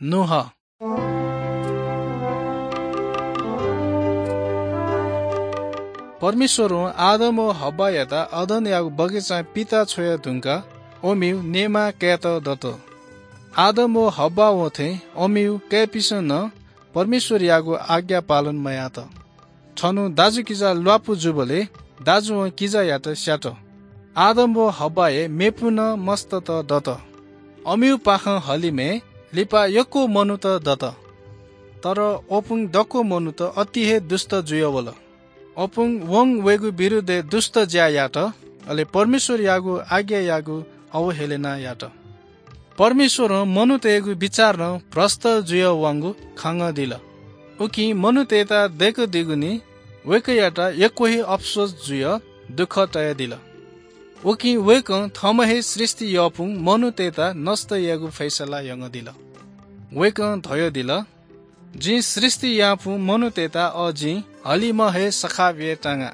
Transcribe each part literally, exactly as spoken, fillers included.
नोआ। परमेश्वरं आदम व हव्वायात अदनयागु बगैँचां पिता छ्वया धुंकाः अमिउ नेमाः कायेत दत। आदम व हव्वां थें अमिउ काय्‌पिसं नं परमेश्वरयागु आज्ञा पालन मयात। छन्हु दाजुकिजा ल्वापु जूबलय् दाजुं किजायात स्यात। आदम व हव्वाया मेपिं नं मस्तत दत। अमिउपाखें हलिमय् लिपा यक्व मनूत दत। तर अपुं दक्व मनूत अति हे दुष्ट जुयावल। अपुं वं वय्‌गु विरुद्धय् दुष्ट ज्या यात, अले परमेश्वरयागु आज्ञायागु अवहेलना यात। परमेश्वरं मनूतय्‌गु बिचाः नं भ्रष्ट जुयावंगु खंगदिल। उकिं मनूतय्‌त दय्‌कादीगुलिं वय्‌कःयात यक्व हे अफसोस जुयाः दुःख तयादिल। उकिं वय्‌कलं थःम्हं हे सृष्टि याःपिं मनूतय्‌त नष्ट यायेगु फैसला यानादिल। वय्‌कलं धयादिल, "जिं सृष्टि याःपिं मनूतय्‌त अ जिं हलिमय् हे सखाप यायेतांगा।"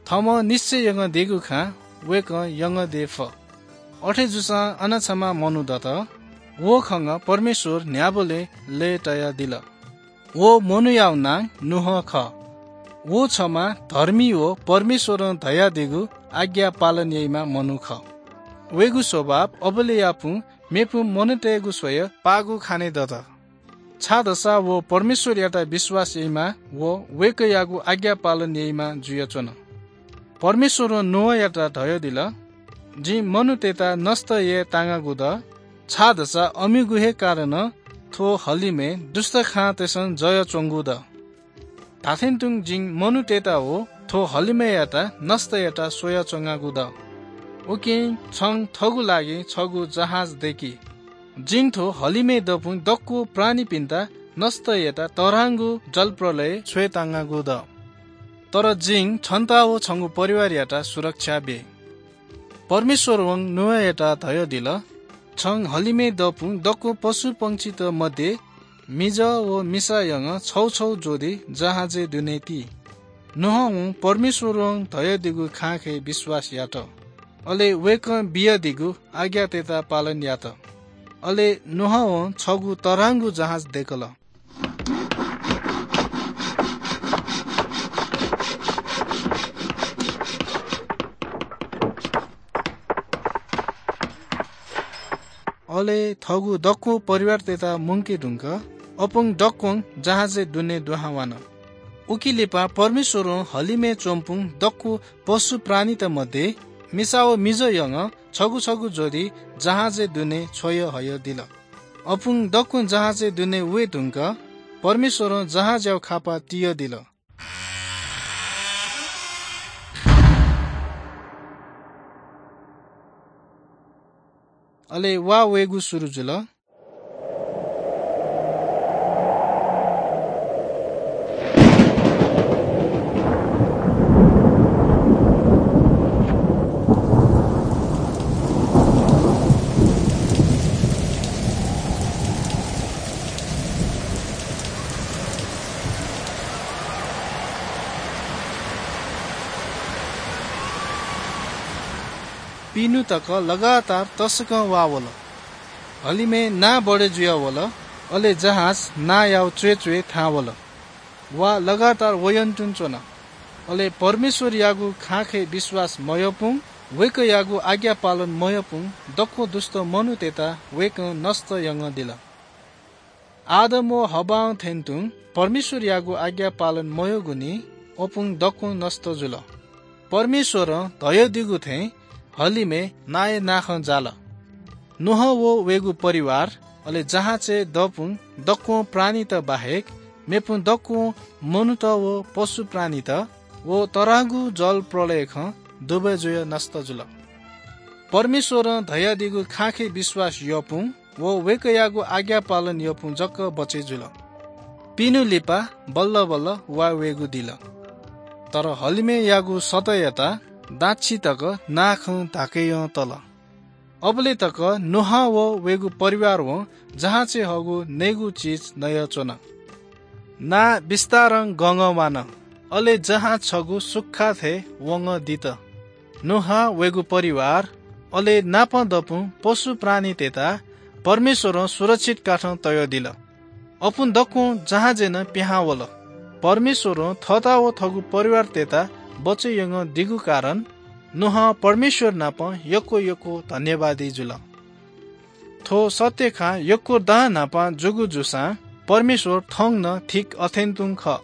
थःम्हं निश्चय यानादीगु खँ वय्‌कलं यानादी फु। अथे जूसां अन छम्ह मनू दत। व खंगः परमेश्वर न्ह्याबलें लय्‌तयादिल। व मनूयागु नां नोआ खः। व छम्ह धर्मी व परमेश्वरं धयादीगु आज्ञा पालन याइम्ह मनू खः। वय्‌गु स्वभाव अबलय्‌यापिं मेपिं मनूतय्‌गु स्वयाः पाःगु खाने दत। छाय्‌धाःसा व परमेश्वरयात विश्वास याइम्ह व वय्‌कःयागु आज्ञा पालन याइम्ह जुयाच्वन। परमेश्वरं नोआयात धयादिल, "जिं मनूतय्‌त नष्ट यायेतांगागु दु, छाय्‌धाःसा अमिगु हे कारणं थ्व हलिमय् दुष्ट खांतय्‌सं जयाच्वंगु दु। धात्थें तुं जिं मनूतय्‌त व थ्व हलिमय्‌यात नष्ट यायेत स्वयाच्वंगागु दु। उकिं छं थःगु लागि छगू जहाज दय्‌कि। जिं थ्व हलिमय् दःपिं दक्व प्राणीपिन्त नष्ट यायेत तःधंगु जलप्रलय छ्वयेतांगागु दु। तर जिं छन्त व छंगु परिवारयात सुरक्षा बी।" परमेश्वरं नोआयात धयादिल, "छं हलिमय् दःपिं दक्व पशुपंक्षीत मध्ये मिजः व मिसा यंगः छगू छगू ज्वदि जहाजय् दुने ति।" नोआं परमेश्वरं धयादीगु खँय् विश्वास यात। अले वय्‌कलं बियादीगु आज्ञातय्‌त पालन यात। अले नोआं छगू तःधंगु जहाज दय्‌कल। अले थःगु दक्व परिवारतय्‌त मुंके धुंकाः अपुं दक्वं जहाजय् दुने दुहां वान। उकी लिपा परमेश्वरं हलिमय् च्वंपिं दक्व पशु प्राणीत मध्ये मिसा व मिजः यंगः छगू छगू ज्वदि जहाजय् दुने छ्वया हयादिल। अपुं दक्वं जहाजय् दुने वये धुंकाः परमेश्वरं जहाजयागु खापा तियादिल। अले वा वयेगु सुरु जुल। पिनु तक लगातार तसकं वा वल। हलिमय् नां बढे जुया वल, अले जहाज नांयागु च्वय् च्वय् थाहां वल। वा लगातार वय् तुं च्वन। अले परमेश्वरयागु खँय् विश्वास मयाःपिं, वय्कःयागु आज्ञा पालन मयाःपिं दक्व दुष्ट मनूतय्त वय्कलं नष्ट यानादिल। आदम व हव्वां थें तुं परमेश्वरयागु आज्ञा पालन मयाःगुलिं अपुं दक्वं नष्ट जुल। परमेश्वरं धयादीगु थें हलिमय् नांया नाखं जाल। नोआ व वय्गु परिवार, अले जहाजय् दःपुं दक्वं प्राणीत बाहेक मेपुं दक्वं मनूत व पशु प्राणीत व तःधंगु जल प्रलयखं दुबय् जुयाः नष्ट जुल। परमेश्वरं धयादीगु खँय् विश्वास याःपुं व वय्कःयागु आज्ञा पालन याःपुं जक बचय् जुल। पिन्हु लिपा बल्ल बल्ल वा वयेगु दिल। तर हलिमय्यागु सतःयात दाच्छि तक नाखं धाकय् तल। अबलय् तक नोआ व वय्गु परिवारं जहाजय् हःगु नयेगु चिज नयाच्वन। नां बिस्तारं गंगं वान, अले जहाज छगू सुख्खा थें वंगदित। नोआ, वय्गु परिवार, अले नाप दःपुं पशु प्राणीतय्त परमेश्वरं सुरक्षित काठं तयदिल। अपुं दक्वं जहाजय् नं पिहां वल। परमेश्वरं थःता व थःगु परिवारतय्‌त बचय् यंगदिगु कारण नोआं परमेश्वर नाप यक्व यक्व धन्यवादी जुल। थ्व सत्य खँ यक्व दां न्हापां जूगु जूसां परमेश्वर थौं नं ठीक अथें तुं खः।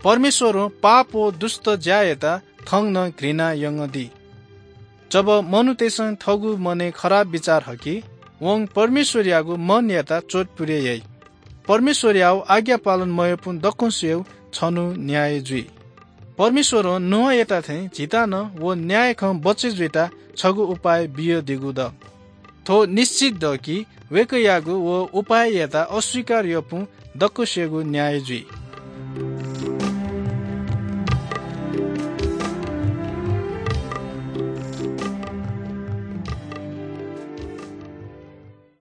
परमेश्वरं पाप व दुष्ट ज्यायात थौं नं घृणा यंगदी। जब मनूतय्‌सं थःगु मनय् खराब बिचाः हकी, वं परमेश्वरयागु मनयात चोट पुरे याइ। परमेश्वरयागु आज्ञा पालन मयाःपुं दक्वसियागु छन्हु न्याय जुइ। परमेश्वरं नोआयात थें झीत नं व न्याय खँ बचय् जुइत छगू उपाय बियादीगु दु। थ्व निश्चित दु कि वय्‌कःयागु व उपाययात अस्वीकार याःपुं दक्वसियागु न्याय जुइ।